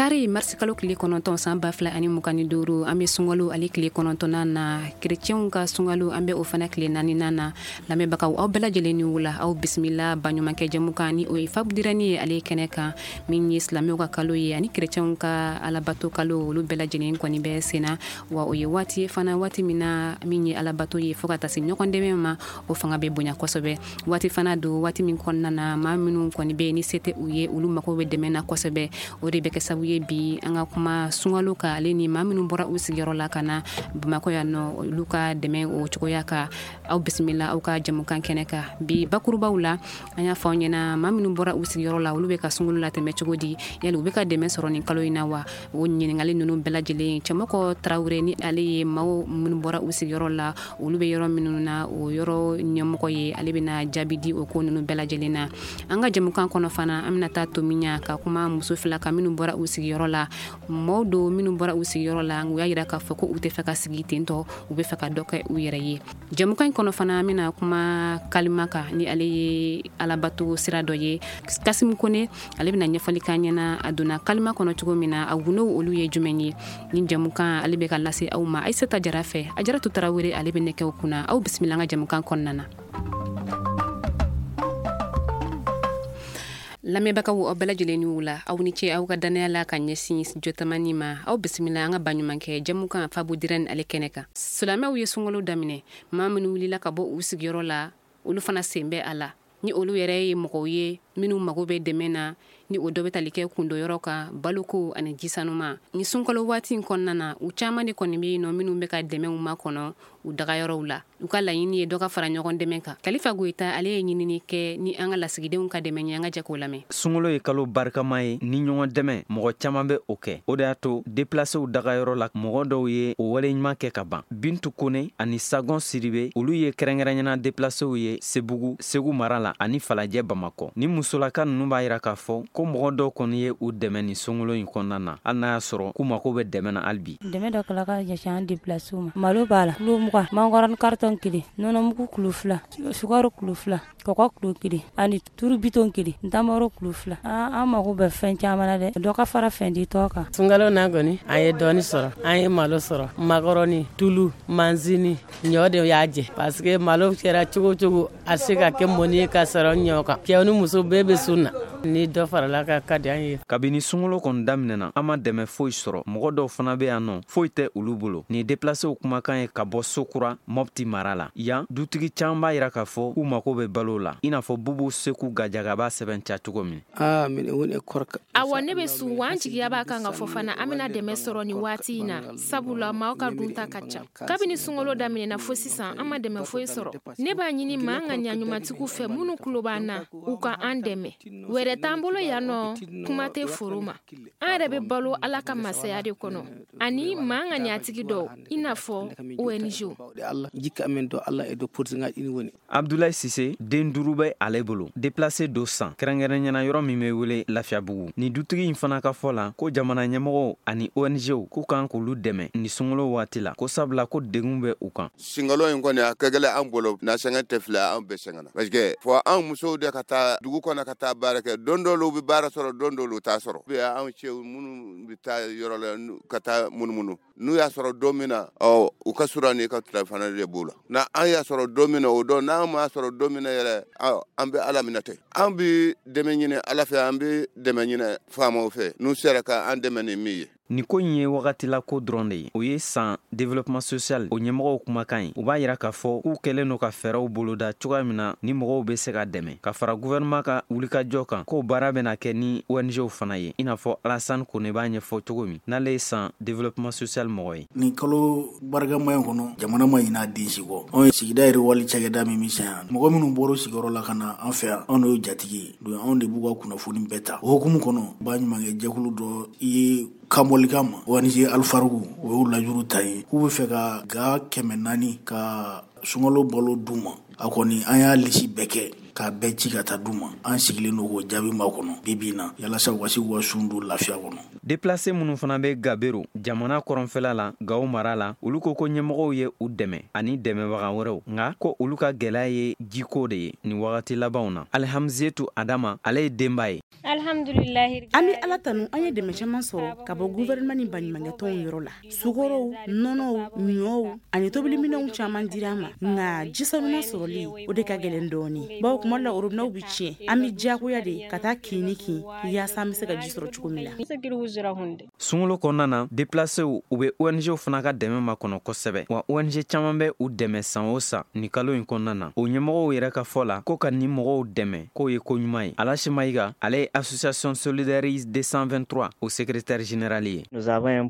Kari marisi kalo tile 9 san 2025, an bɛ sunkalo ale tile 9nan na, kerecɛnw ka sunkalo an bɛ o fana tile 4nan na. Lamɛnbagaw, aw bɛɛ lajɛlen ni wula, aw bisimila baɲumankɛ jɛmukan ni o ye Fabu Dirɛni ye ale kɛnɛ kan, min ye silamɛw ka kalo ye ani kerecɛnw ka alabato kalo, olu bɛɛ lajɛlen kɔni bɛ senna. Wa o ye waati ye fana, waati min na min ye alabato ye fo ka taa se ɲɔgɔn dɛmɛ ma, o fanga bɛ bonya kosɛbɛ. Waati fana don, waati min kɔnɔna na maa minnu kɔni bɛ ni se tɛ u ye, olu mago bɛ dɛmɛ na kosɛbɛ. O de bɛ kɛ sababu ye bi an ka kuma sunkalo kan, ale ni maa minnu bɔra u sigiyɔrɔ la ka na Bamakɔ yan nɔ, olu ka dɛmɛ o cogoya kan. Aw bisimila aw ka jɛmukan kɛnɛ kan. Bi bakurubaw la, an y'a fɔ aw ɲɛna maa minnu bɔra u sigiyɔrɔ la, olu bɛ ka sunkalo latɛmɛ cogo di, yali u bɛ ka dɛmɛ sɔrɔ nin kalo in na wa? O ɲininkali ninnu bɛɛ lajɛlen, Cɛmɔgɔ Tarawele ni ale ye maaw minnu bɔra u sigiyɔrɔ la, olu bɛ yɔrɔ minnu na, o yɔrɔ ɲɛmɔgɔ ye, ale bɛna jaabi di o ko ninnu bɛɛ lajɛlen na. An ka jɛmukan kɔnɔ fana, an bɛna taa Tomiɲa ka kuma muso fila kan minnu bɔra u sigiyɔrɔ la. Mɔgɔw don minnu bɔra u sigiyɔrɔ la, u y'a jira k'a fɔ ko u tɛ fɛ ka sigi ten tɔ, u bɛ fɛ ka dɔ kɛ u yɛrɛ ye. Jɛmukan in kɔnɔ fana, an bɛna kuma kalima kan ni ale ye alabato sira dɔ ye. Kasimu Kone ale bɛna ɲɛfɔli k'an ɲɛna a donna kalima kɔnɔ cogo min na, a gundow olu ye jumɛn ye. Ni jɛmukan ale bɛ ka lase aw ma Ayisata Jara fɛ, Ajaratu Tarawele ale bɛ nɛgɛw kunna. Aw bisimila an ka jɛmukan kɔnɔna na. Lamɛnbagaw, aw bɛɛ lajɛlen ni wula, aw ni ce aw ka dannaya la ka ɲɛsin Jotamani ma. Aw bisimila an ka baɲumankɛ jɛmukan Fabu Dirɛni ale kɛnɛ kan. Silamɛw ye sunkalo daminɛ, maa minnu wulila ka bɔ u sigiyɔrɔ la, olu fana sen bɛ a la. Ni olu yɛrɛ ye mɔgɔw ye minnu mago bɛ dɛmɛ na, ni o dɔ bɛ tali kɛ kundoyɔrɔ kan, baloko ani jisanuma. Ni sunkalo waati in kɔnɔna na, u caman de kɔni bɛ yen nɔ minnu bɛ ka dɛmɛw makɔnɔ u dagayɔrɔw la. U ka laɲini ye dɔ ka fara ɲɔgɔn dɛmɛ kan. Kalifa Goyita ale ye ɲinini kɛ ni an ka lasigidenw ka dɛmɛ ye, an ka jɛ k'o lamɛn. Sunkalo ye kalo barikama ye ni ɲɔgɔn dɛmɛ, mɔgɔ caman bɛ o kɛ. O de y'a to déplacéw dagayɔrɔ la, mɔgɔ dɔw ye o wale ɲuman kɛ ka ban. Bintu Kone ani Sagon Siribe, olu ye kɛrɛnkɛrɛnyana déplacéw ye Sebugu, Segu mara la ani Falajɛ Bamakɔ. Ni musolaka ninnu b'a yira k'a fɔ ko mɔgɔ dɔw kɔni ye u dɛmɛ nin sunkalo in kɔnɔna na, hali n'a y'a sɔrɔ k'u mako bɛ dɛmɛ na hali bi. Dɛmɛ dɔ kɛla ka ɲɛsin an déplacéw ma. Malo b'a la kilo 20, macaroni carton 1, nɔnɔmugu kilo 2, sukaro kilo 2, kɔgɔ kilo 1 ani turu bitɔn 1, ntamaro kilo 2. An mago bɛ fɛn caman na dɛ, dɔ ka fara fɛn di tɔ kan. Sunkalo na kɔni, an ye dɔɔni sɔrɔ, an ye malo sɔrɔ, macaroni, tulu, manzini, ɲɔ de y'a jɛ parce que malo kɛra cogo cogo a se ka kɛ mɔni ye ka sɔrɔ ɲɔ kan. Cɛw ni muso bɛɛ bɛ sun na, ni dɔ farala ka ka di an ye. Kabini sunkalo kɔni daminɛna, an ma dɛmɛ foyi sɔrɔ. Mɔgɔ dɔw fana bɛ yan nɔ, foyi tɛ olu bolo. Nin déplacéw kumakan ye ka bɔ Sokura, Mopti mara la. Yan dutigi caman b'a yira k'a fɔ k'u mako bɛ balo la, i n'a fɔ Bubu Seku Gajaga b'a sɛbɛn ca cogo min. Awa, ne bɛ sun wa an jigiya b'a kan ka fɔ fana an bɛna dɛmɛ sɔrɔ nin waati in na, sabula maaw ka dunta ka ca. Kabini sunkalo daminɛna fo sisan, an ma dɛmɛ foyi sɔrɔ. Ne b'a ɲini maa ŋaniya ɲumantigiw fɛ minnu tulo b'an na, u ka an dɛmɛ. Wɛrɛ t'an bolo yan nɔ, kuma tɛ foro ma. An yɛrɛ bɛ balo Ala ka masaya de kɔnɔ ani maa ŋaniyatigi dɔw, i n'a fɔ ONG. Abdoulaye Sise, den 5 bɛ ale bolo. Déplacé do san kɛrɛnkɛrɛnyana yɔrɔ min bɛ wele Lafiyabugu. Ni dutigi in fana ka fɔ la ko jamana ɲɛmɔgɔw ani ONGw k'u kan k'olu dɛmɛ ni sunkalo waati la, ko sabula ko degun bɛ u kan. Sunkalo in kɔni a ka gɛlɛn an bolo, na sɛgɛn tɛ filɛ, an bɛɛ sɛgɛnna parce que fɔ an musow de ka taa dugu kɔnɔ ka taa baara kɛ. Don dɔw bɛ baara sɔrɔ, don dɔw t'a sɔrɔ. Anw cɛw minnu bɛ taa yɔrɔ la ka taa munumunu, n'u y'a sɔrɔ don min na, ɔ u ka sura ni ka tilefana de b'u la. Na an y'a sɔrɔ don min na, o don, n'an m'a sɔrɔ don min na yɛrɛ, an bɛ Ala minɛ ten. An bɛ dɛmɛ ɲini Ala fɛ, an bɛ dɛmɛ ɲini faamaw fɛ, n'u sera ka an dɛmɛ ni min ye. Nin ko in ye wagatila ko dɔrɔn de ye. O ye san développement social o ɲɛmɔgɔw kumakan ye. U b'a yira k'a fɔ k'u kɛlen don ka fɛɛrɛw boloda cogoya min na ni mɔgɔw bɛ se ka dɛmɛ, ka fara gouvernement ka wulikajɔ kan, k'o baara bɛna kɛ ni ONGw fana ye, i n'a fɔ Alassane Kone b'a ɲɛfɔ cogo min, n'ale ye san développement social mɔgɔ ye. Nin kalo barikama in kɔnɔ, jamana ma ɲinɛ a den si kɔ. Anw ye sigida yɛrɛ wali cakɛda min bɛ sen yan, mɔgɔ minnu bɔra sigiyɔrɔ la ka na an fɛ yan, anw de y'o jatigi ye. Donc anw de b'u ka kunnafoni bɛɛ ta. O hukumu kɔnɔ, baɲumankɛ jɛkulu dɔ ye kanbɔlikan ma, ONG Alifarugu, o y'o lajuru ta ye k'u bɛ fɛ ka ga 400 ka sunkalo balo d'u ma. A kɔni an y'a lisi bɛɛ kɛ k'a bɛɛ ci ka taa d'u ma. An sigilen don k'o jaabi ma kɔnɔ bi bi in na, yalasa u ka se k'u ka sun don lafiya kɔnɔ. Déplacé minnu fana bɛ Gabero jamana kɔrɔnfɛla la, Gawo mara la, olu ko ɲɛmɔgɔw ye u dɛmɛ ani dɛmɛbaga wɛrɛw, nka ko olu ka gɛlɛya ye jiko de ye nin wagati labanw na. Alihamzetu Adama, ale ye denba ye. An bɛ Ala tanu, an ye dɛmɛ caman sɔrɔ ka bɔ gouvernement ni baɲumankɛtɔnw yɔrɔ la. Sukɔrɔw, nɔnɔw, ɲɔw ani tobiliminɛnw caman dira an ma, nka ji sanuman sɔrɔli, o de ka gɛlɛn dɔɔnin, bawo tuma dɔ la robinet bɛ tiɲɛ, an bɛ diyagoya de ka taa kin ni kin yaasa an bɛ se ka ji sɔrɔ cogo min na. Sunkalo kɔnɔna na, déplacéw, u bɛ ONG fana ka dɛmɛ makɔnɔ kosɛbɛ, wa ONG caman bɛ u dɛmɛ san o san nin kalo in kɔnɔna na. O ɲɛmɔgɔw yɛrɛ ka fɔ la, ko ka nin mɔgɔw dɛmɛ, k'o ye ko ɲuman ye. Alasi Mayiga, ale ye association Solidarité 223 o secrétaire général ye.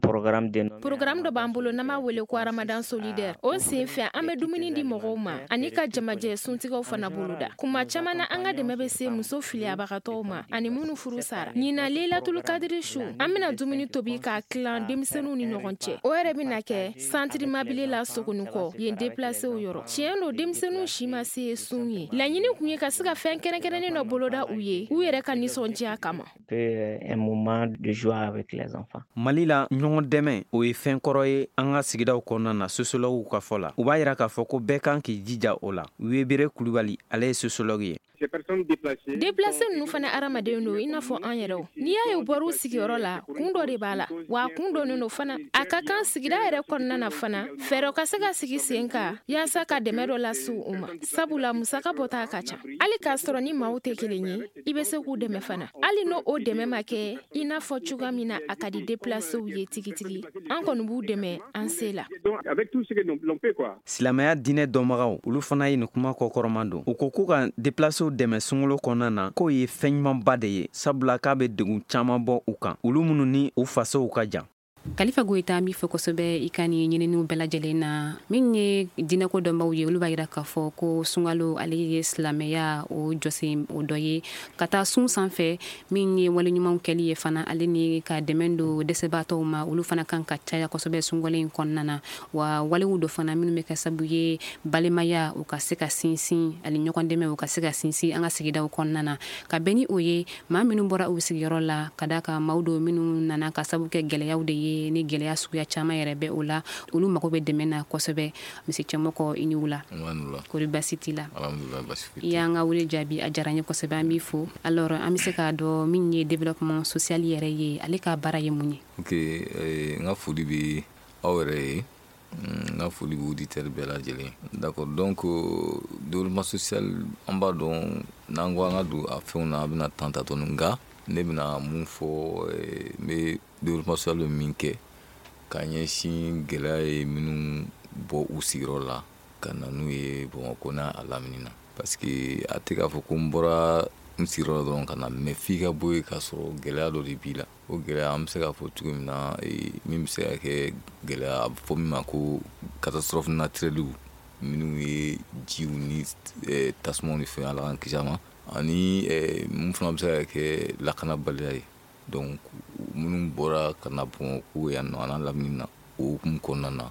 Programme dɔ b'an bolo n'an b'a wele ko Ramadan solidaire. O sen fɛ, an bɛ dumuni di mɔgɔw ma ani ka jamajɛ suntigɛw fana boloda. Kuma caman na, an ka dɛmɛ bɛ se muso filiyabagatɔw ma ani minnu furu sara. Ɲinan Laylatul Kadiri su, an bɛna dumuni tobi k'a tilan denmisɛnninw ni ɲɔgɔn cɛ. O yɛrɛ bɛna kɛ centre Mabile la Sogonikɔ, yen déplacéw yɔrɔ. Tiɲɛ don, denmisɛnninw si ma se sun ye. Laɲini kun ye ka se ka fɛn kɛrɛnkɛrɛnnen dɔ boloda u ye, u yɛrɛ ka nisɔndiya kama. Mali la, ɲɔgɔn dɛmɛ, o ye fɛn kɔrɔ ye an ka sigidaw kɔnɔna na. Sociologue ka fɔ la, u b'a yira k'a fɔ ko bɛɛ kan k'i jija o la. Webere Kulubali, ale ye sociologue ye. Déplacé ninnu fana hadamaden don i n'a fɔ an yɛrɛw. N'i y'a ye u bɔra u sigiyɔrɔ la, kun dɔ de b'a la, wa a kun dɔnnen don fana. A ka kan sigida yɛrɛ kɔnɔna na fana, fɛɛrɛ ka se ka sigi sen kan yaasa ka dɛmɛ dɔ lase u ma, sabula musaka bɔta ka ca. Hali k'a sɔrɔ ni maaw tɛ kelen ye, i bɛ se k'u dɛmɛ fana, hali n'o o dɛmɛ ma kɛ i n'a fɔ cogoya min na a ka di déplacéw ye tigitigi. An kɔni b'u dɛmɛ an se la. Silamɛya diinɛ dɔnbagaw, olu fana ye nin kuma kɔkɔrɔma don. U ko k'u ka déplacéw dɛmɛ sunkalo kɔnɔna na, k'o ye fɛn ɲumanba de ye, sabula k'a bɛ degun caman bɔ u kan, olu minnu ni u fasow ka jan. Kalifa Goyita, an b'i fo kosɛbɛ i ka nin ɲininiw bɛɛ lajɛlen na. Min ye diinɛko dɔnbaw ye, olu b'a yira k'a fɔ ko sunkalo, ale ye silamɛya o jɔsen o dɔ ye ka taa sun sanfɛ. Min ye wale ɲumanw kɛli ye fana, ale ni ka dɛmɛ don dɛsɛbaatɔw ma, olu fana kan ka caya kosɛbɛ sunkalo in kɔnɔna na. Wa walew dɔ fana minnu bɛ kɛ sababu ye balimaya u ka se ka sinsin, ani ɲɔgɔn dɛmɛ u ka se ka sinsin an ka sigidaw kɔnɔna na. Ka bɛn ni o ye, maa minnu bɔra u sigiyɔrɔ la, ka d'a kan maaw don minnu nana ka sababu kɛ gɛlɛyaw de ye, ni gɛlɛya suguya caman yɛrɛ bɛ o la, olu mago bɛ dɛmɛ na kosɛbɛ. Misi Cɛmɔgɔ, i ni wula. Kori basi t'i la? I y'an ka wele jaabi, a diyara n ye kosɛbɛ, an b'i fo. Alors, an bɛ se k'a dɔn min ye développement social yɛrɛ ye, ale ka baara ye mun ye? Ok, n ka foli bɛ aw yɛrɛ ye, n ka foli bɛ auditeur bɛɛ lajɛlen. D'accord, donc développement social, an b'a dɔn n'an ko an ka don a fɛnw na, a bɛna temps ta dɔɔni, nka ne bɛna mun fɔ, n bɛ développement social bɛ min kɛ ka ɲɛsin gɛlɛya ye minnu bɔ u sigiyɔrɔ la ka na n'u ye Bamakɔ n'a a lamini na, parce que a tɛ k'a fɔ ko n bɔra n sigiyɔrɔ la dɔrɔn ka na, mais f'i ka bɔ yen k'a sɔrɔ gɛlɛya dɔ de b'i la. O gɛlɛya, an bɛ se k'a fɔ cogo min na, min bɛ se ka kɛ gɛlɛya, a bɛ fɔ min ma ko catastrophe naturelle, minnu ye jiw ni tasumaw ni fɛn, Ala k'an kisi a ma, ani mun fana bɛ se ka kɛ lakanabaliya ye. Donc minnu bɔra ka na Bamakɔ yan nɔ a n'a lamini na, o hukumu kɔnɔna na,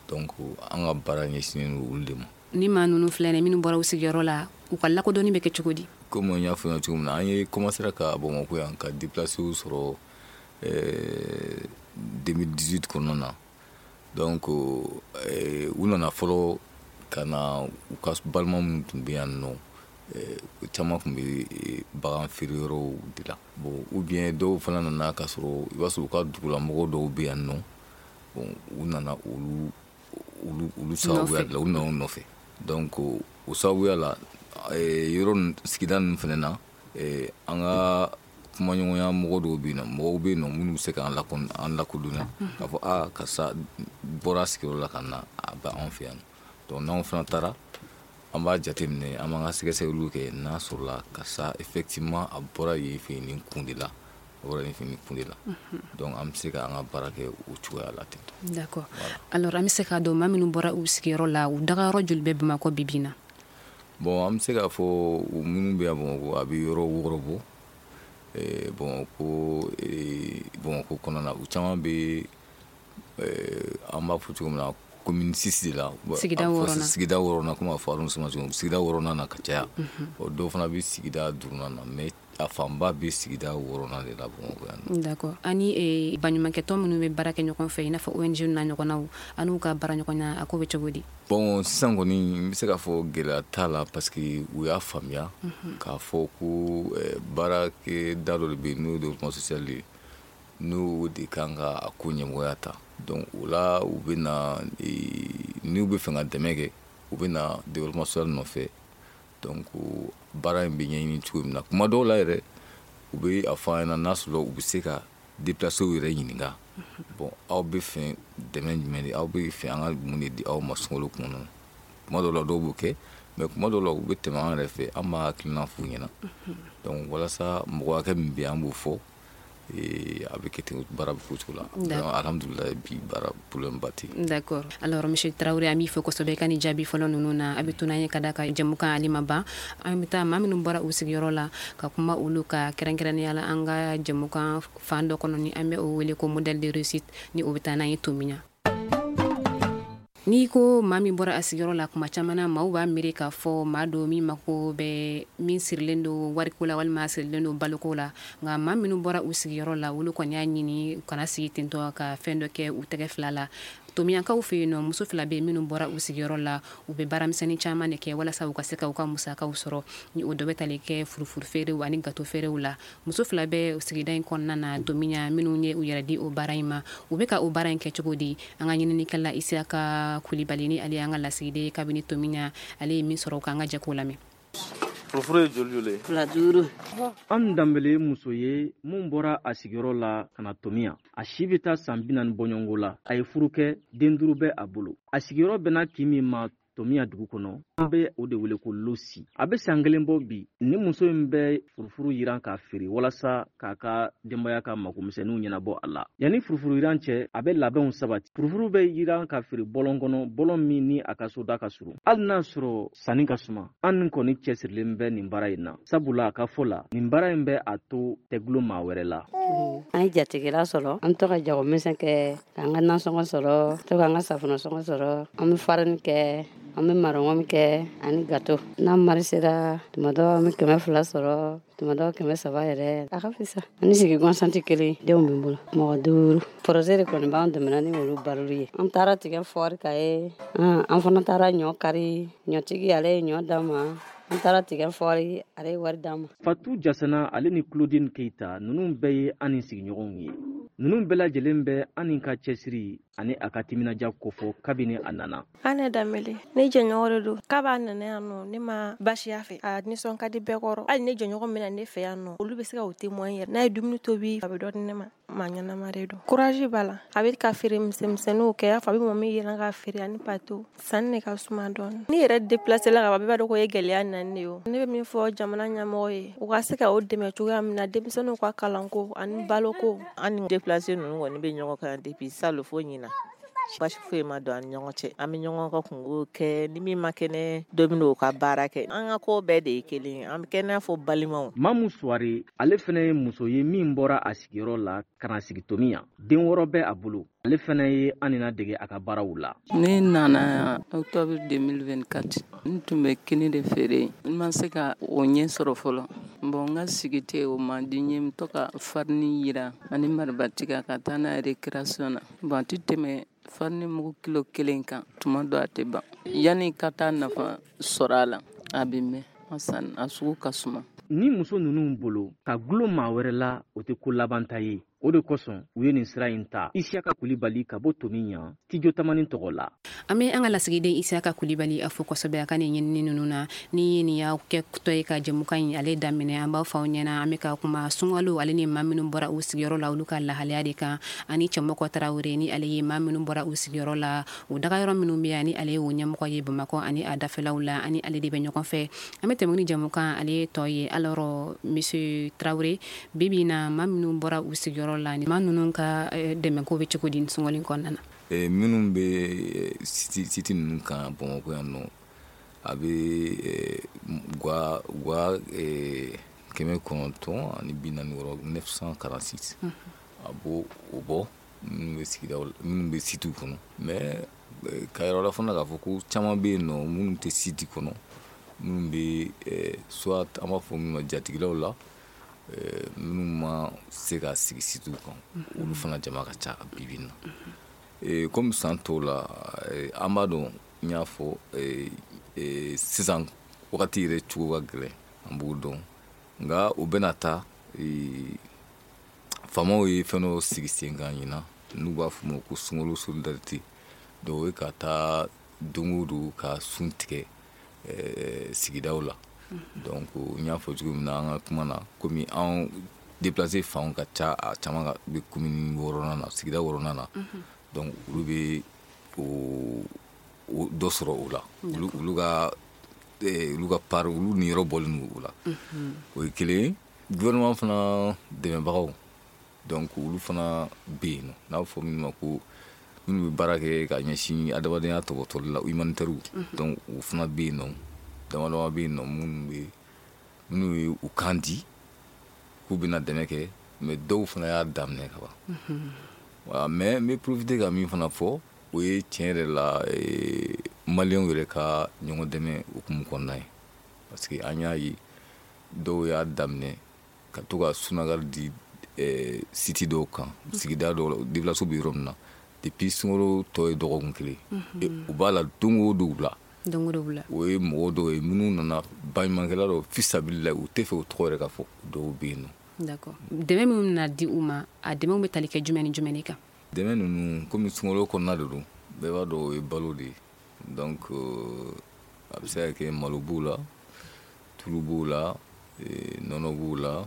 donc an ka baara ɲɛsinnen don olu de ma. Ni maa ninnu filɛ nin, minnu bɔra u sigiyɔrɔ la, u ka lakodɔnni bɛ kɛ cogo di? Komi n y'a fɔ ɲɛna cogo min na, an ye commencé ka Bamakɔ yan ka déplacé sɔrɔ 2018 kɔnɔna na. Donc u nana fɔlɔ ka na, u ka balima minnu tun bɛ yan nɔ, caman tun bɛ bagan feere yɔrɔw de la. Bon, ou bien dɔw fana nana k'a sɔrɔ i b'a sɔrɔ u ka dugulamɔgɔ dɔw bɛ yan nɔ. Bon, u nana olu sababuya de la, u nana u nɔfɛ. Donc o sababuya la, yɔrɔ sigida ninnu fana na, an ka kumaɲɔgɔnya mɔgɔ dɔw bɛ yen nɔ, mɔgɔw bɛ yen nɔ minnu bɛ se k'an lakodɔnya k'a fɔ aa karisa bɔra sigiyɔrɔ la ka na, a bɛ anw fɛ yan. Donc n'anw fana taara, an b'a jateminɛ, an b'an ka sɛgɛsɛgɛliw kɛ, n'a sɔrɔla karisa effectivement a bɔra yen fɛ nin kun de la, a bɔra yen fɛ nin kun de la. Donc an bɛ se k'an ka baara kɛ o cogoya la ten. D'accord. Alors, an bɛ se k'a dɔn maa minnu bɔra u sigiyɔrɔ la, u dagayɔrɔ joli bɛ Bamakɔ bi bi in na? Bon, an bɛ se k'a fɔ minnu bɛ yan Bamakɔ, a bɛ yɔrɔ 6 bɔ. Bamakɔ kɔnɔna na, u caman bɛ, an b'a fɔ cogo min na, commune 6 de la. Sigida 6nan. Sigida 6nan, komi a fɔ arrondissement cogo min, sigida 6nan na ka caya. Dɔw fana bɛ sigida 5nan na, mais A fanba bɛ sigida 6nan de la Bamakɔ yan. D'accord. Ani baɲumankɛtɔn minnu bɛ baara kɛ ɲɔgɔn fɛ, i n'a fɔ ONG n'a ɲɔgɔnnaw, an n'u ka baara ɲɔgɔnya, a ko bɛ cogo di? Bon, sisan kɔni n bɛ se k'a fɔ gɛlɛya t'a la, parce que u y'a faamuya k'a fɔ ko baarakɛda dɔ de bɛ yen, n'o ye développement social ye, n'o de kan ka a ko ɲɛmɔgɔya ta. Donc o la, u bɛ na, n'u bɛ fɛ ka dɛmɛ kɛ, u bɛ na développement social nɔfɛ. Donc baara in bɛ ɲɛɲini cogo min na, kuma dɔw la yɛrɛ, u bɛ a fɔ an ɲɛna n'a sɔrɔ u bɛ se ka déplacer yɛrɛ ɲininka. Bon, aw bɛ fɛ dɛmɛ jumɛn de, aw bɛ fɛ an ka mun de di aw ma sunkalo kɔnɔ? Kuma dɔw la, dɔw b'o kɛ, mais kuma dɔw la, u bɛ tɛmɛ an yɛrɛ fɛ, an b'a hakilina f'u ɲɛna. Donc walasa mɔgɔ hakɛ min bɛ yen, an b'o fɔ, a bɛ kɛ ten, baara bɛ k'o cogo la. Alhamdulilayi, bi baara problème ba tɛ yen. D'accord. Alors monsieur Traoré, an b'i fo kosɛbɛ ka nin jaabi fɔlɔ ninnu na. A bɛ to n'an ye ka da ka jɛmukan ale ma ban. An bɛ taa maa minnu bɔra u sigiyɔrɔ la ka kuma olu ka, kɛrɛnkɛrɛnnenya la an ka jɛmukan fan dɔ kɔnɔ ni an bɛ o wele ko modèle de réussite, ni o bɛ taa n'an ye Tominian. N'i ko maa min bɔra a sigiyɔrɔ la, kuma caman na maaw b'a miiri k'a fɔ maa don min mako bɛ min sirilen don wariko la walima sirilen don baloko la. Nka maa minnu bɔra u sigiyɔrɔ la, olu kɔni y'a ɲini u kana sigi tentɔ, ka fɛn dɔ kɛ u tɛgɛ fila la. Tomiyankaw fɛ yen nɔ, muso fila bɛ minnu bɔra u sigiyɔrɔ la, u bɛ baaramisɛnnin caman de kɛ walasa u ka se ka u ka musakaw sɔrɔ, ni o dɔ bɛ tali kɛ furufuru feerew ani gato feerew la. Muso fila bɛ sigida in kɔnɔna na Tominian minnu ye u yɛrɛ di o baara in ma. U bɛ ka o baara in kɛ cogo di? An ka ɲininikɛla Isiyaka Kulibali, ni ale y'an ka lasigiden kabini Tominian, ale ye min sɔrɔ, k'an ka jɛ k'o lamɛn. Furufuru ye joli joli ye? 2 5. An Danbele ye muso ye mun bɔra a sigiyɔrɔ la ka na Tominian. A si bɛ taa san 40 bɔɲɔgɔnko la. A ye furu kɛ, den 5 bɛ a bolo. A sigiyɔrɔ bɛnna kin min ma Tominian dugu kɔnɔ, an bɛ o de wele ko Losi. A bɛ san 1 bɔ bi, ni muso in bɛ furufuru yiran k'a feere walasa k'a ka denbaya ka magomisɛnninw ɲɛnabɔ a la. Yanni furufuru yiran cɛ, a bɛ labɛnw sabati. Furufuru bɛ yiran ka feere bɔlɔn kɔnɔ, bɔlɔn min ni a ka soda ka surun. Hali n'a sɔrɔ sanni ka suma, an kɔni cɛsirilen bɛ nin baara in na, sabula a ka fɔ la, nin baara in bɛ a to tɛ gulon maa wɛrɛ la. An ye jatigila sɔrɔ, an to ka jagomisɛn kɛ, k'an ka nasɔngɔ sɔrɔ, to k'an ka safunɛsɔngɔ sɔrɔ, an bɛ farini kɛ, an bɛ marɔngɔ kɛ ani gato. N'an mari sera, tuma dɔ an bɛ 200 sɔrɔ, tuma dɔ 300 yɛrɛ. A ka fisa. Ani sigi gansan tɛ kelen, denw bɛ n bolo mɔgɔ 5. Projet de kɔni b'an dɛmɛ ni olu baloli ye. An taara tigɛ fɔri ka ye, an fana taara ɲɔ kari, ɲɔtigi ale ye ɲɔ d'an ma. An taara tigɛ fɔri, ale ye wari d'an ma. Fatu Jasana ale ni Claudine Keita, ninnu bɛɛ ye an ni sigiɲɔgɔnw ye. Ninnu bɛɛ lajɛlen bɛ an ni ka cɛsiri ani a ka timinadiya kofɔ kabini a nana. An Danbele, ne jɛɲɔgɔn de don. K'a b'a nana yan nɔ, ne ma baasi y'a fɛ. A nisɔn ka di bɛɛ kɔrɔ. Hali ne jɛɲɔgɔn min na ne fɛ yan nɔ, olu bɛ se ka o témoin yɛrɛ. N'a ye dumuni tobi, a bɛ dɔ di ne ma. Maa ɲɛnama de don. Courage b'a la. A bɛ ka feere misɛnmisɛnninw kɛ. I y'a fɔ a bɛ mɔgɔ min yɛlɛn ka feere ani pato. Sanni de ka suma dɔɔnin. N'i yɛrɛ déplacé la ka ban, bɛɛ b'a dɔn ko ye gɛlɛya nani de ye o. Ne bɛ min fɔ jamana ɲɛmɔgɔ ye, u ka se ka o dɛmɛ cogoya min na denmisɛnninw ka kalanko ani baloko. An ni déplacé ninnu kɔni bɛ ɲɔgɔn kan depuis salon fo ɲina. Basi foyi ma don an ni ɲɔgɔn cɛ. An bɛ ɲɔgɔn ka kungo kɛ, ni min ma kɛnɛ, dɔ bɛ n'o ka baara kɛ. An ka ko bɛɛ de ye kelen ye. An bɛ kɛ n'a fɔ balimaw. Mamu Suware, ale fana ye muso ye min bɔra a sigiyɔrɔ la ka na sigi Tominian. Den 6 bɛ a bolo. Ale fana ye an dege a ka baaraw la. Ne nana octobre 2024. N tun bɛ kini de feere. N ma se ka o ɲɛ sɔrɔ fɔlɔ. Bon, n ka sigi tɛ o man di n ye. N to ka farini yiran ani maribatiga ka taa n'a ye récréation na. Bon, a tɛ tɛmɛ farini mugu kilo 1 kan, tuma dɔ a tɛ ban. Yanni ka taa nafa sɔrɔ a la, a bɛ mɛn. A sugu ka suma. Ni muso ninnu bolo ka gulon maa wɛrɛ la, o tɛ ko labanta ye. O de kosɔn u ye nin sira in ta. Isiyaka Kulibali ka bɔ Tominian, Studio Tamani tɔgɔ la. An bɛ an ka lasigiden Isiyaka Kulibali a fo kosɛbɛ a ka nin ɲinini ninnu na. Ni nin y'aw kɛ tɔ ye ka jɛmukan in ale daminɛ, an b'a fɔ aw ɲɛna an bɛ ka kuma sunkalo ale ni maa minnu bɔra u sigiyɔrɔ la, olu ka lahalaya de kan, ani Cɛmɔgɔ Tarawele, ni ale ye maa minnu bɔra u sigiyɔrɔ la, u dagayɔrɔ minnu bɛ yan, ni ale ye o ɲɛmɔgɔ ye Bamakɔ ani a dafɛlaw la, ani ale de bɛ ɲɔgɔn fɛ. An bɛ tɛmɛ ni jɛmukan ale tɔ ye. Alors monsieur Tarawele, bi bi in na, maa minnu bɔra u sigiyɔrɔ la, ni maa ninnu ka dɛmɛko bɛ cogo di sunkalo in kɔnɔna na? Minnu bɛ site ninnu kan Bamakɔ yan nɔ, a bɛ gwa 946, 946, a b'o o bɔ minnu bɛ sigidaw, minnu bɛ site kɔnɔ. Mais ka yɔrɔ la fana k'a fɔ ko caman bɛ yen nɔ minnu tɛ site kɔnɔ, minnu bɛ soit an b'a fɔ minnu ma jatigilaw la, Minnu ma se ka sigi sitew kan, olu fana jama ka ca bi bi in na. Komi san tɔw la, an b'a dɔn, n y'a fɔ, sisan wagati yɛrɛ cogo ka gɛlɛn, an b'o dɔn. Nka o bɛna ta, faamaw ye fɛn dɔ sigi sen kan ɲinan, n'u b'a fɔ ma ko sunkalo solidarité. Donc o ye ka taa don o don ka sun tigɛ sigidaw la. Donc n y'a fɔ cogo min na an ka kuma na, komi an déplacé fanw ka ca, a caman bɛ commune 6nan na, sigida 6nan na. Donc olu bɛ o dɔ sɔrɔ o la, olu ka part, olu niyɔrɔ bɔlen don o la. O ye kelen. Gouvernement fana dɛmɛbagaw, donc olu fana bɛ yen nɔ, n'a bɛ fɔ minnu ma ko minnu bɛ baara kɛ ka ɲɛsin adamadenya tɔbɔtɔli la, humanitaire. Donc o fana bɛ yen nɔ, dama dama bɛ yen nɔ, minnu ye u kan di k'u bɛna dɛmɛ kɛ, mais dɔw fana y'a daminɛ ka ban. Voilà. Mais n bɛ profiter ka min fana fɔ, o ye tiɲɛ yɛrɛ la, maliyɛnw yɛrɛ ka ɲɔgɔn dɛmɛ hukumu kɔnɔna ye, parce que an y'a ye dɔw y'a daminɛ ka to ka sunakari di site dɔw kan, sigida dɔw la, déplacés bɛ yɔrɔ min na. Depuis sunkalo tɔ ye dɔgɔkun kelen, u b'a la don o don wula. Don o don wula. O ye mɔgɔ dɔw ye minnu nana, baɲumankɛla dɔw, fisabilila, u tɛ fɛ u tɔgɔ yɛrɛ ka fɔ, dɔw bɛ yen nɔ. D'accord. Dɛmɛ minnu bɛna di u ma, a dɛmɛw bɛ tali kɛ jumɛn ni jumɛn de kan? Dɛmɛ ninnu, komi sunkalo kɔnɔna de don, bɛɛ b'a dɔn o ye balo de ye. Donc a bɛ se ka kɛ malo b'o la, tulu b'o la, nɔnɔ b'o la,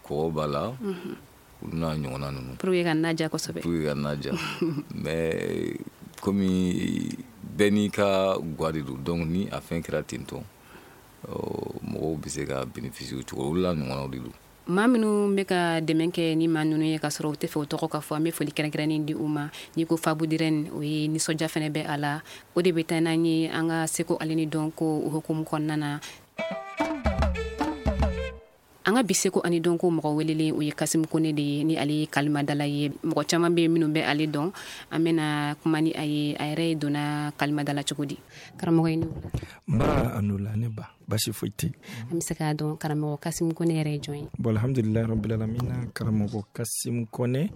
kɔgɔ b'a la, olu n'a ɲɔgɔnna ninnu. Pour que ka na diya kosɛbɛ. Pour que ka na diya. Mais komi bɛɛ n'i ka gwa de don, donc ni a fɛn kɛra ten tɔ, mɔgɔw bɛ se ka bénéficier o cogo, olu la ɲɔgɔnnaw de don. Maa minnu bɛ ka dɛmɛ kɛ ni maa ninnu ye ka sɔrɔ u tɛ fɛ u tɔgɔ ka fɔ, an bɛ foli kɛrɛnkɛrɛnnen di u ma. N'i ko Fabudirɛn, o ye nisɔndiya fana bɛ a la. O de bɛ taa n'an ye an ka seko ale ni dɔnko hukumu kɔnɔna na. An ka bi seko ani dɔnko mɔgɔ welelen, o ye Kasimu Kone de ye, ni ale ye kalimadala ye. Mɔgɔ caman bɛ minnu bɛ ale dɔn. An bɛna kuma ni a ye, a yɛrɛ ye donna kalimadala cogo di. Karamɔgɔ, i ni wula. Nba, a ni wula ne ba, basi foyi tɛ. An bɛ se k'a dɔn karamɔgɔ Kasimu Kone yɛrɛ ye jɔn ye? Bon, alhamdulilayi rabbil alamina. Karamɔgɔ Kasimu Kone,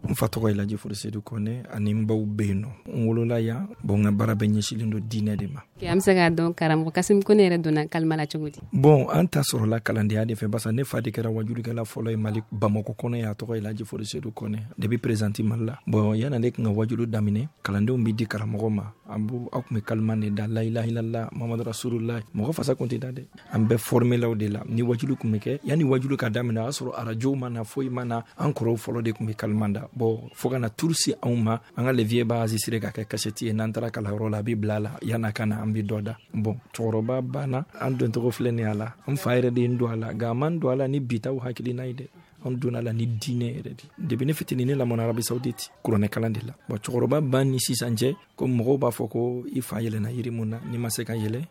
n fa tɔgɔ ye Laji Forosedu Kone, ani n baw bɛ yen nɔ. N wolola yan. Bon, n ka baara bɛɛ ɲɛsinnen don diinɛ de ma. An bɛ se k'a dɔn karamɔgɔ Kasimu Kone yɛrɛ donna kalima la cogo di? Bon, an ta sɔrɔla kalandenya de fɛ, barisa ne fa de kɛra wajulikɛla fɔlɔ ye Mali Bamakɔ kɔnɔ yan. A tɔgɔ ye Laji Forosedu Kone, depuis président Mali la. Bon, yan'ale tun ka wajulu daminɛ, kalandenw bɛ di karamɔgɔ ma, an b'u aw tun bɛ kalima de da, la ilaha illallah Muhammadu rasulullah. Mɔgɔ fasa kun tɛ da dɛ, an bɛɛ formelaw de la. Ni wajulu tun bɛ kɛ, yanni wajulu ka daminɛ, o y'a sɔrɔ arajow ma na, foyi ma na, an kɔrɔw fɔlɔ de tun bɛ kalima da. Bon, fo ka na tour se anw ma, an ka le vieux b'a enregistré ka kɛ cassette ye. N'an taara kalanyɔrɔ la, a bɛ bila a la, yan'a ka na, an bɛ dɔ da. Bon, cɛkɔrɔba banna, an doncogo filɛ nin ye a la. N fa yɛrɛ de ye n don a la, nka a man don a la ni bitaw hakilina ye dɛ, an donna la ni diinɛ yɛrɛ de. Depuis ne fitinin, ne lamɔna Arabie Saoudite kuranɛ kalan de la. Bon, cɛkɔrɔba ban ni sisan cɛ, ko mɔgɔw b'a fɔ ko i fa yɛlɛnna yiri mun na, n'i ma se ka yɛlɛ,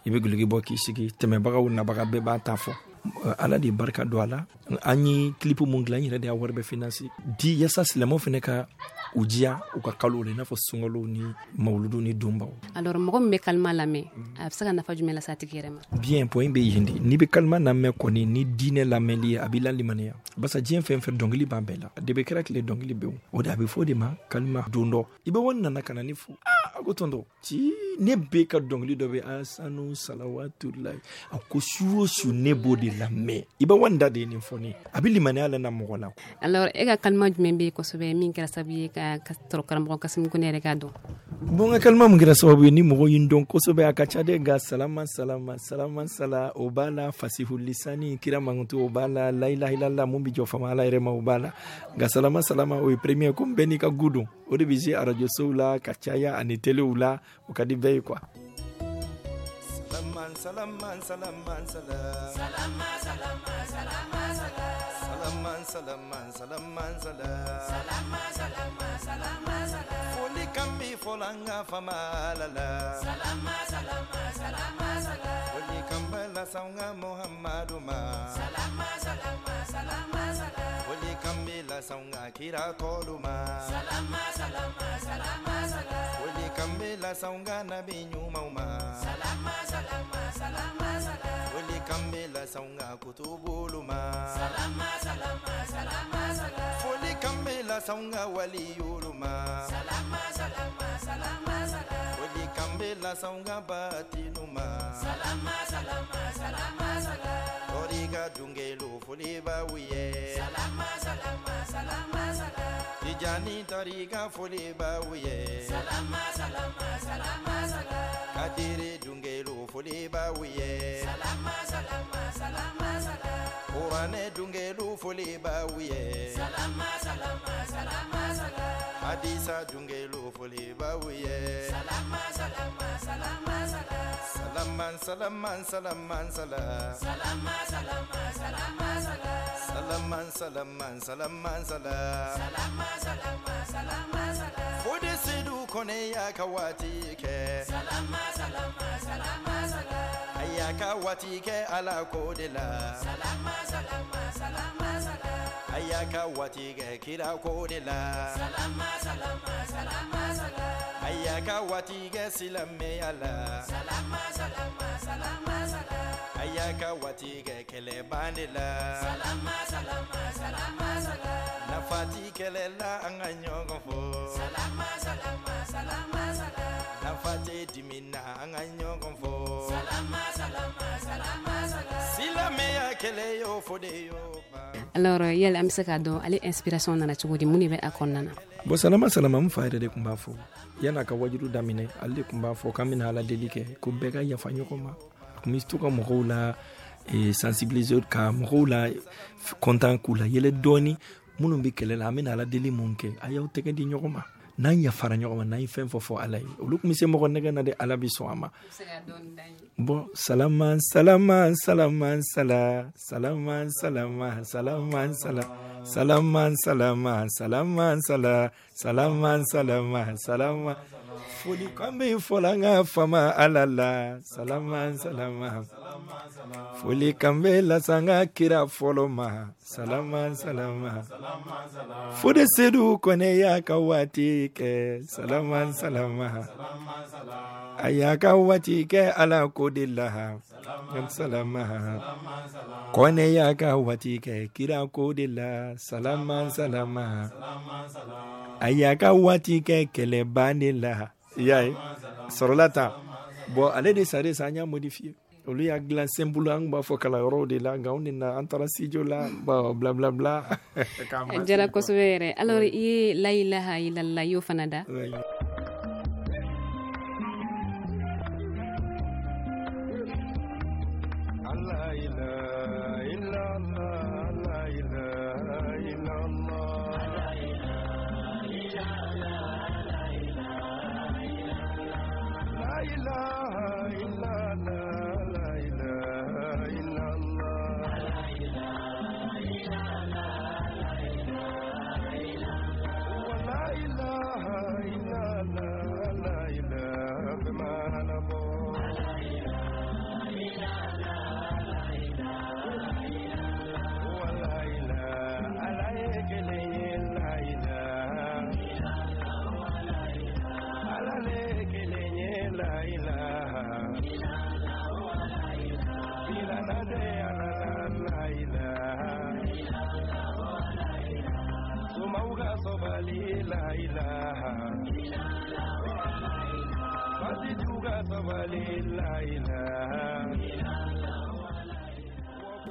i bɛ guloki bɔ k'i sigi, tɛmɛbagaw nabaga bɛɛ b'a ta fɔ. Ala de barika don a la. An ye clip mun dilan, n yɛrɛ de y'a wari bɛɛ finance di, yasa silamɛw fana ka u diya u ka kalo la, i n'a fɔ sunkalo ni mawuludu ni donbaw. Alors, mɔgɔ min bɛ kalima lamɛn, a bɛ se ka nafa jumɛn lase a tigi yɛrɛ ma? Bien, point bɛ yen de. N'i bɛ kalima lamɛn kɔni, ni diinɛ lamɛnli ye, a b'i lalimaniya, barisa diɲɛ fɛn fɛn, dɔnkili b'a bɛɛ la. Depuis kɛra tile, dɔnkili bɛ o de, a bɛ fɔ o de ma kalima. Don dɔ, i bɛ wani nana ka na ne fo, a ko tonton ci, ne bɛ ka dɔnkili dɔ bɛ asanu salawatulayi, a ko su o su ne b'o de lamɛn. I bɛ wani da de ye nin fɔ ne, a bɛ limaniya la na mɔgɔ la. Alors, e ka kalima jumɛn bɛ yen kosɛbɛ min kɛra sababu ye ka sɔrɔ karamɔgɔ Kasimu Kone yɛrɛ k'a dɔn? Bon, n ka kalima mun kɛra sababu ye ni mɔgɔ ye n dɔn kosɛbɛ, a ka ca dɛ, nka salama salama salama sala, o b'a la, fasihu lisani kira mankutu, o b'a la, la ilaha illallah mun bɛ jɔ fama Ala yɛrɛ ma, o b'a la. Nka salama salama, o ye premier, komi bɛɛ n'i ka goût don, o de bɛ se arajo sow la ka caya ani telew la, o ka di bɛɛ ye quoi. Salama salama salama sala, salama salama salama sala, salama salama salama sala, salama salama salama sala. Foli kan bi fɔla an ka fama la la. Salama salama salama sala. Foli kan bɛ lase an ka Muhamadu ma. Salama salama salama sala. Foli kan bɛ lase an ka kira tɔlu ma. Salama salama salama sala. Foli kan bɛ lase an ka nabi ɲumanw ma. Salama salama salama sala. Foli kan bɛ lase an ka kutubulu. las'anw ka waliyulu ma. Salama salama salama salam. Foli kan bɛ las'anw ka batinu ma. Salama salama salama salam. Tɔriga dungelu foli b'aw ye. Salama salama salama salam. Tijani tɔriga foli b'aw ye. Salama salama salama salam. Kadiri dungelu foli b'aw ye. Salama salama salama salam. Kuranɛ dungelu foli b'aw ye. Salama salama salama salam. Hadisa dungelu foli b'aw ye. Salama salama salama salam. Salama salama salama salam. Salama salama salama salam. Salama salama salama salam. Salama salama salama salam. Fode Sedu Kone y'a ka waati kɛ. Salama salama salama salam. A y'a ka waati kɛ Ala ko de la. Salama salama salama salam. A y'a ka waati kɛ kira ko de la. Salama salama salama salam. A y'a ka waati kɛ silamɛya la. Salama salama salama salam. A y'a ka waati kɛ kɛlɛban de la. Salama salama salama salam. Nafa ti kɛlɛ la an ka ɲɔgɔn fɔ. Salama salama salama salam. Nafa tɛ dimi na an ka ɲɔgɔn fɔ. Salama salama salama salam. Silamɛya kɛlɛ y'o fɔ de y'o ban. Alors yala an bɛ se k'a dɔn ale inspiration nana cogo di, mun de bɛ a kɔnɔna na? Bon, salama salama n fa yɛrɛ de tun b'a fɔ yan'a ka wajilu daminɛ, ale de tun b'a fɔ k'an bɛna Ala deli kɛ ko bɛɛ ka yafa ɲɔgɔn ma. A tun bɛ to ka mɔgɔw la sensibiliser, ka mɔgɔw la content, k'u la yɛlɛ dɔɔni. Minnu bɛ kɛlɛ la, an bɛna Ala deli mun kɛ, a y'aw tɛgɛ di ɲɔgɔn ma. N'an yafara ɲɔgɔn ma, n'an ye fɛn fɔ Ala ye, olu tun bɛ se mɔgɔ nɛgɛ na de, Ala bɛ sɔn a ma. Bon, salama salama salama sala salama salama salama sala salama salama salama sala salama salama salama. Foli kan bɛ fɔla an ka fama Ala la. Salama salama. Foli kan bɛ las'an ka kira fɔlɔ ma. Salama salama. Fode Sedu Kone y'a ka waati kɛ. Salama salama. A y'a ka waati kɛ Ala ko de la. Salama. Kone y'a ka waati kɛ kira ko de la. Salama salama. A y'a ka waati kɛ kɛlɛban de la. I y'a ye sɔrɔla tan. Bon, ale de sare sa, an y'a modifié. Olu y'a dilan simple, an b'a fɔ kalanyɔrɔw de la, nka anw de na an taara studio la, bon, bla bla bla. A diyara kosɛbɛ yɛrɛ. Alors i ye la ilaha illallah i y'o fana da.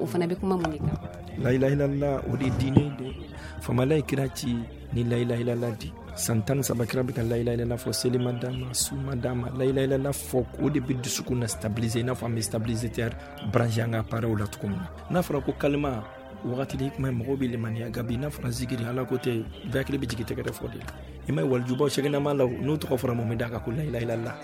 O fana bɛ kuma mun de kan? La ilaha illallah, o de diinɛ de famala ye kira ci ni la ilaha illallah di. San 13 kira bɛ ka la ilaha illallah fɔ, seli ma d'a ma, su ma d'a ma, la ilaha illallah fɔ. O de bɛ dusukun na stabiliser, i n'a fɔ an bɛ stabilisateur branché an ka appareil la cogo min na. N'a fɔra ko kalima wagati de kuma mɔgɔw bɛ limaniya, nka bi n'a fɔra zikiri, Ala ko tɛ, bɛɛ hakili bɛ jigin tɛgɛrɛ fɔ de la. I ma ye walijubaw sɛgɛnama la, n'u tɔgɔ fɔra mun bɛ d'a kan ko la ilaha illallah.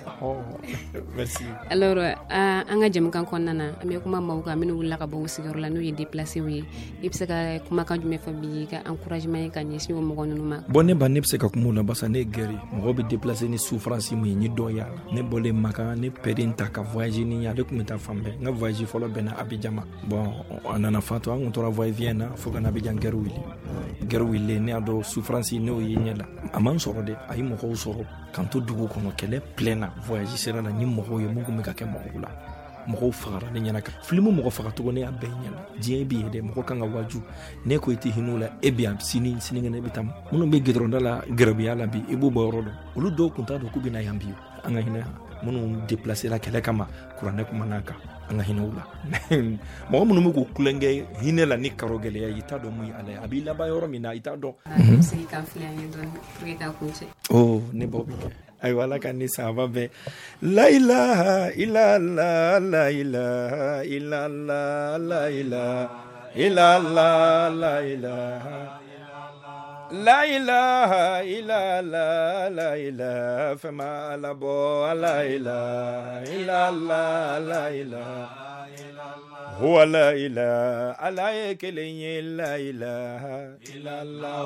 Merci. Alors an ka jɛmukan kɔnɔna na, an bɛ kuma maaw kan minnu wulila ka bɔ u sigiyɔrɔ la, n'o ye déplacés ye. I bɛ se ka kumakan jumɛn fɔ bi ka encouragement ye ka ɲɛsin o mɔgɔ ninnu ma? Bon, ne ba, ne bɛ se ka kuma o la barisa ne ye guerre ye. Mɔgɔw bɛ déplacé ni souffrance mun ye, n ye dɔ y'a la. Ne bɔlen Makan, ne père ta ka voyage ni ye, ale tun bɛ taa fan bɛɛ. N ka voyage fɔlɔ bɛnna Abidjan ma. Bon, a nana fatu, an kun tora voyage na fo ka na Abidjan guerre wuli. Guerre wulilen, ne y'a dɔn souffrance n'o ye ɲɛ la. A man sɔrɔ dɛ, a ye mɔgɔw sɔrɔ k'an to dugu kɔnɔ, kɛlɛ plein na, voyage sera la, ni mɔgɔw ye mun kun bɛ ka kɛ mɔgɔw la. Mɔgɔw fagara ne ɲɛna kan filimu mɔgɔ fagacogo ne y'a bɛɛ ɲɛna. Diɲɛ b'i ye dɛ, mɔgɔ kan ka waju. Ne ko i tɛ hinɛ la, e bɛ yan sini sinikɛnɛ e bɛ taa. Minnu bɛ gidɔrɔnda la gɛrɛbuya la bi, i b'u bɔ yɔrɔ dɔn. Olu dɔw tun t'a dɔn k'u bɛ na yan bi. An ka hinɛ minnu déplacé la kɛlɛ kama, kuranɛ kumana kan, an ka hinɛ u la. Mɔgɔ minnu bɛ k'u tulonkɛ hinɛ la ni karo gɛlɛya, i t'a dɔn mun ye Ala ye, a b'i laban yɔrɔ min na, i t'a dɔn. Oh, ne baw bɛ kɛ. Ayiwa, Ala ka ni sahaba bɛɛ. La ilaha illallah, la ilaha illallah, la ilaha illallah, la ilaha, la ilaha illallah, la ilaha. Fɛn ma Ala bɔ. La ilaha illallah, la ilaha huwa la ilaha. Ala ye kelen ye. La ilaha illallah,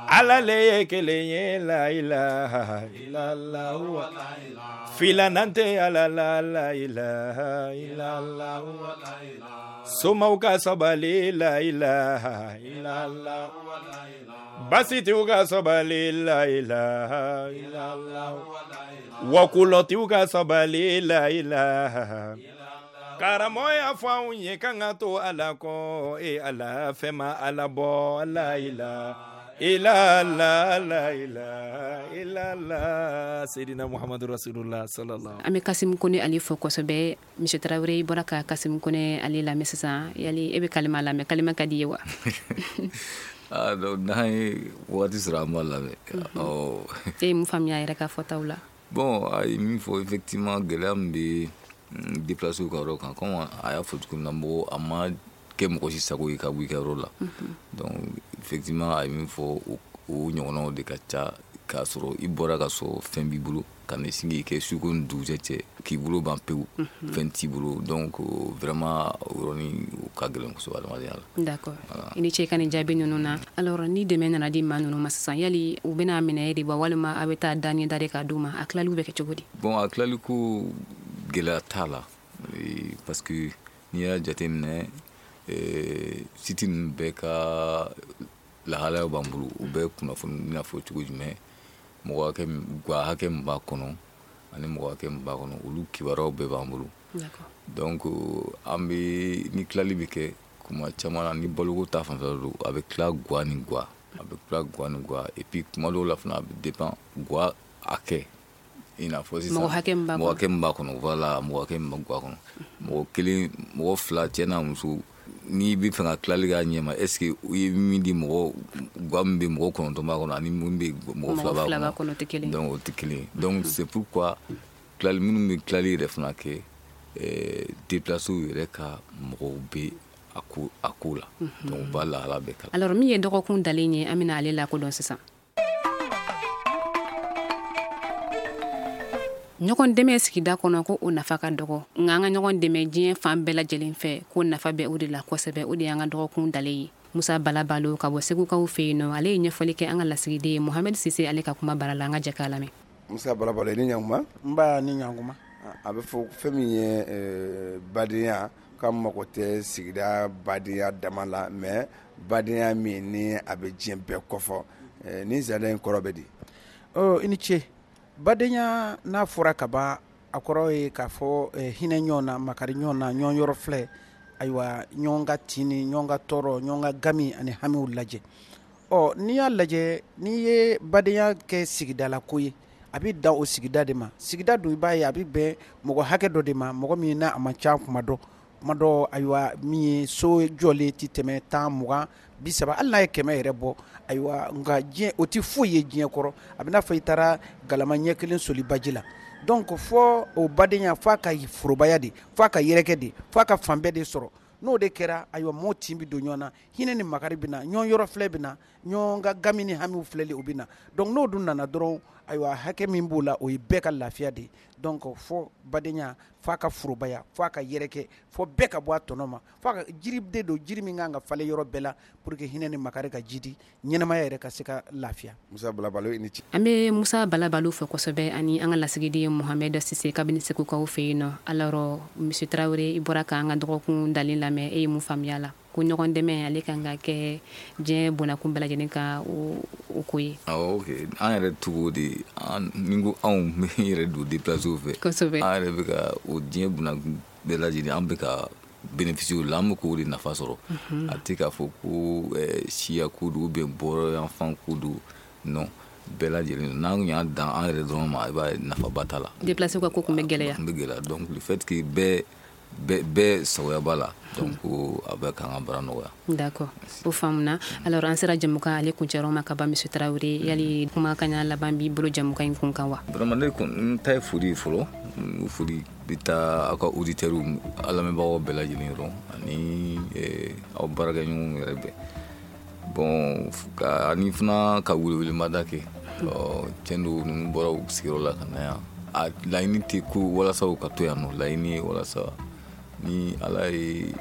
Ala le ye kelen ye. La ilaha illallah, filanan tɛ Ala la. La ilaha illallah, somaw ka sabali. La ilaha illallah, basitiw ka sabali. La ilaha illallah, wakulɔtiw ka sabali. La ilaha. Karamɔgɔ y'a fɔ anw ye k'an ka to Ala kɔ. E Ala, fɛn ma Ala bɔ. La ilaha illallah, la ilaha illallah, Seydina Muhammadu Rasulullah sallallahu. An bɛ Kasimu Kone ale fo kosɛbɛ. Monsieur Tarawele, i bɔra ka Kasimu Kone ale lamɛn sisan. Yali e bɛ kalima lamɛn? Kalima ka di i ye wa? Ah, donc n'an ye wagati sɔrɔ, an b'a lamɛn. Ɔ. E ye mun faamuya a yɛrɛ ka fɔtaw la? Bon, a ye min fɔ, effectivement, gɛlɛya min bɛ déplacé ka yɔrɔ kan, comme a y'a fɔ cogo min na, mɔgɔ a ma kɛ mɔgɔ si sago ye ka bɔ i ka yɔrɔ la. Donc effectivement, a ye min fɔ, o ɲɔgɔnnaw de ka ca, k'a sɔrɔ i bɔra ka sɔrɔ fɛn b'i bolo, ka na sin k'i kɛ su ko ni dugujɛ cɛ, k'i bolo ban pewu, fɛn t'i bolo. Donc vraiment, o yɔrɔnin o ka gɛlɛn kosɛbɛ adamadenya la. D'accord, i ni ce i ka nin jaabi ninnu na. Alors, ni dɛmɛ nana di maa ninnu ma sisan, yali u bɛna minɛ e de ba, walima a bɛ taa da ni da de k'a d'u ma? A tilaliw bɛ kɛ cogo di? Bon, a tilali ko gɛlɛya t'a la, parce que n'i y'a jateminɛ, site ninnu bɛɛ ka lahalayaw b'an bolo. U bɛɛ kunnafoni bɛna fɔ cogo jumɛn, mɔgɔ hakɛ, ga hakɛ min b'a kɔnɔ ani mɔgɔ hakɛ min b'a kɔnɔ, olu kibaruyaw bɛɛ b'an bolo. Donc an bɛ ni tilali bɛ kɛ kuma caman na, ni baloko ta fanfɛla don, a bɛ tila gwa ni gwa, a bɛ tila gwa ni gwa. Et puis kuma dɔw la fana, a bɛ dépend gwa hakɛ, i n'a fɔ sisan mɔgɔ hakɛ min b'a mɔgɔ hakɛ min b'a kɔnɔ. Voilà, mɔgɔ hakɛ min b'a gwa kɔnɔ, mɔgɔ kelen, mɔgɔ fila, cɛ n'a muso. N'i bɛ fɛ ka tilali k'a ɲɛma, est ce que i ye min di mɔgɔ, gwa min bɛ mɔgɔ 9 b'a kɔnɔ ani min bɛ mɔgɔ 2 b'a kɔnɔ, tɛ kelen. Donc o tɛ kelen ye. Donc c'est pourquoi tilali minnu bɛ tilali yɛrɛ fana kɛ, déplacés yɛrɛ ka mɔgɔw bɛ a ko la. Donc u b'a lahala bɛɛ kala. Alors, min ye dɔgɔkun dalen ye, an bɛna ale lakodɔn sisan. Ɲɔgɔn dɛmɛ sigida kɔnɔ, ko o nafa ka dɔgɔ, nka an ka ɲɔgɔn dɛmɛ diɲɛ fan bɛɛ lajɛlen fɛ, ko nafa bɛ o de la kosɛbɛ. O de y'an ka dɔgɔkun dalen ye. Musa Balabalo ka bɔ Segukaw fɛ yen nɔ, ale ye ɲɛfɔli kɛ an ka lasigiden ye Mohamɛd Sise, ale ka kuma bara la. An ka jɛ k'a lamɛn. Musa Balabalo, i ni ɲankuma. N ba, ni ɲankuma. A bɛ fɔ fɛn min ye badenya, ka mago tɛ sigida badenya dama la, mais badenya min ni a bɛ diɲɛ bɛɛ kɔfɔ, ni zana in kɔrɔ bɛ di? Ɔ, i ni ce. Badenya n'a fɔra ka ban, a kɔrɔ ye k'a fɔ hinɛ ɲɔgɔn na, makari ɲɔgɔn na, ɲɔgɔn yɔrɔ filɛ, ayiwa, ɲɔgɔn ka tin ni ɲɔgɔn ka tɔɔrɔ, ɲɔgɔn ka gami ani hamiw lajɛ. Ɔ, n'i y'a lajɛ, n'i ye badenya kɛ sigidala ko ye, a bɛ dan o sigida de ma. Sigida dun, i b'a ye a bɛ bɛn mɔgɔ hakɛ dɔ de ma, mɔgɔ min n'a a man ca kuma dɔ kuma dɔ. Ayiwa, min ye so jɔlen tɛ tɛmɛ 10, 20, 30, hali n'a ye 100 yɛrɛ bɔ. Ayiwa, nka diɲɛ o tɛ foyi ye diɲɛ kɔrɔ, a bɛ n'a fɔ i taara galama ɲɛ kelen soli baji la. Donc fɔ o badenya, f'a ka forobaya de, f'a ka yɛrɛkɛ de, f'a ka fan bɛɛ de sɔrɔ. N'o de kɛra, ayiwa, mɔɔw tin bɛ don ɲɔgɔn na, hinɛ ni makari bɛ na, ɲɔgɔn yɔrɔ filɛ bɛ na, ɲɔgɔn ka gami ni hamiw filɛli o bɛ na. Donc n'o dun nana dɔrɔn, ayiwa, hakɛ min b'o la, o ye bɛɛ ka lafiya de ye. Donc fɔ badenya f'a ka forobaya, f'a ka yɛrɛkɛ, fɔ bɛɛ ka bɔ a tɔnɔ ma, f'a ka jiri de don, jiri min kan ka falen yɔrɔ bɛɛ la pour que hinɛ ni makari ka jidi, ɲɛnamaya yɛrɛ ka se ka lafiya. Musa Balabalo, i ni ce. An bɛ Musa Balabalo fɛ kosɛbɛ ani an ka lasigiden Mohamɛd Sise kabini Segukaw fɛ yen nɔ. Alors, monsieur Tarawele, i bɔra k'an ka dɔgɔkun dalen lamɛn, e ye mun faamuya la? Ko ɲɔgɔn dɛmɛ ale kan ka kɛ diɲɛ bonnakun bɛɛ lajɛlen ka o ko ye. Awɔ, ok, an yɛrɛ tugu de, ni ko anw bɛ yɛrɛ don déplacés fɛ. Kosɛbɛ. An yɛrɛ bɛ ka o diɲɛ bonnakun bɛɛ lajɛlen, an bɛ ka bénéficier o la, an bɛ k'o de nafa sɔrɔ. A tɛ k'a fɔ ko siya ko don ou bien bɔyɔrɔ yanfan ko don, non, bɛɛ lajɛlen n'an y'a dan an yɛrɛ dɔrɔn ma, i b'a ye nafaba t'a la. Déplacés ka ko tun bɛ gɛlɛya. Tun bɛ gɛlɛya, donc le fait que bɛɛ sagoya b'a la, donc a bɛ k'an ka baara nɔgɔya. D'accord, o faamuna. Alors an sera jɛmukan ale kuncɛyɔrɔ ma ka ban, monsieur Tarawele, yali kumakan ɲa laban b'i bolo jɛmukan in kun kan wa? Vraiment, ne kɔni n ta ye foli ye fɔlɔ. Foli bɛ taa aw ka auditeurs, aw lamɛnbagaw bɛɛ lajɛlen yɔrɔ, ani aw baarakɛɲɔgɔnw yɛrɛ bɛɛ. Bon, ani fana ka welewelemada kɛ. Tiɲɛ don, ninnu bɔra u sigiyɔrɔ la ka na yan. A laɲini tɛ ko walasa u ka to yan nɔ, laɲini ye walasa ni Ala ye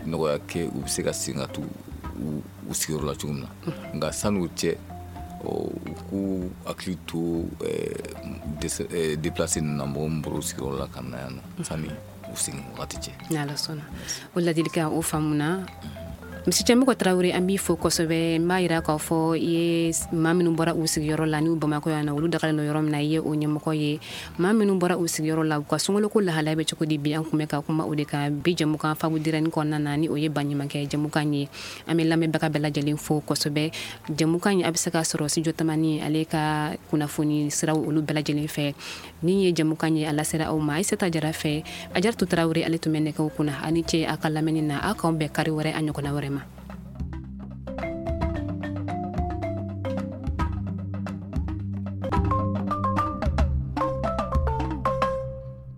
nɔgɔya kɛ, u bɛ se ka segin ka t'u u sigiyɔrɔ la cogo min na. Nka san'o cɛ, u k'u hakili to déplacé ninnu na, mɔgɔ min bɔra u sigiyɔrɔ la ka na yan nɔ, sani u segin wagati cɛ. N'Ala sɔnna, o ladilikan o faamuna. Monsieur Tiémoko Tarawele, an b'i fo kosɛbɛ. N b'a yira k'a fɔ i ye maa minnu bɔra u sigiyɔrɔ la n'u Bamakɔ yan nɔ, olu dagalen don yɔrɔ min na, i ye o ɲɛmɔgɔ ye. Maa minnu bɔra u sigiyɔrɔ la, u ka sunkalo lahalaya bɛ cogo di bi, an tun bɛ ka kuma o de kan bi jɛmukan Fabu Dirɛni kɔnɔna na, ni o ye baɲumankɛ jɛmukan ye. An bɛ lamɛnbaga bɛɛ lajɛlen fo kosɛbɛ. Jɛmukan in a bɛ se ka sɔrɔ Studio Tamani ale ka kunnafoni siraw olu bɛɛ lajɛlen fɛ. Ni ye jɛmukan ye, a lasera aw ma Ayisata Jara fɛ. Ajaratu Tarawele ale tun bɛ nɛgɛw kunna. Aw ni ce a ka lamɛnni na. Aw k'anw bɛn kari wɛrɛ a ɲɔgɔnna wɛrɛ ma.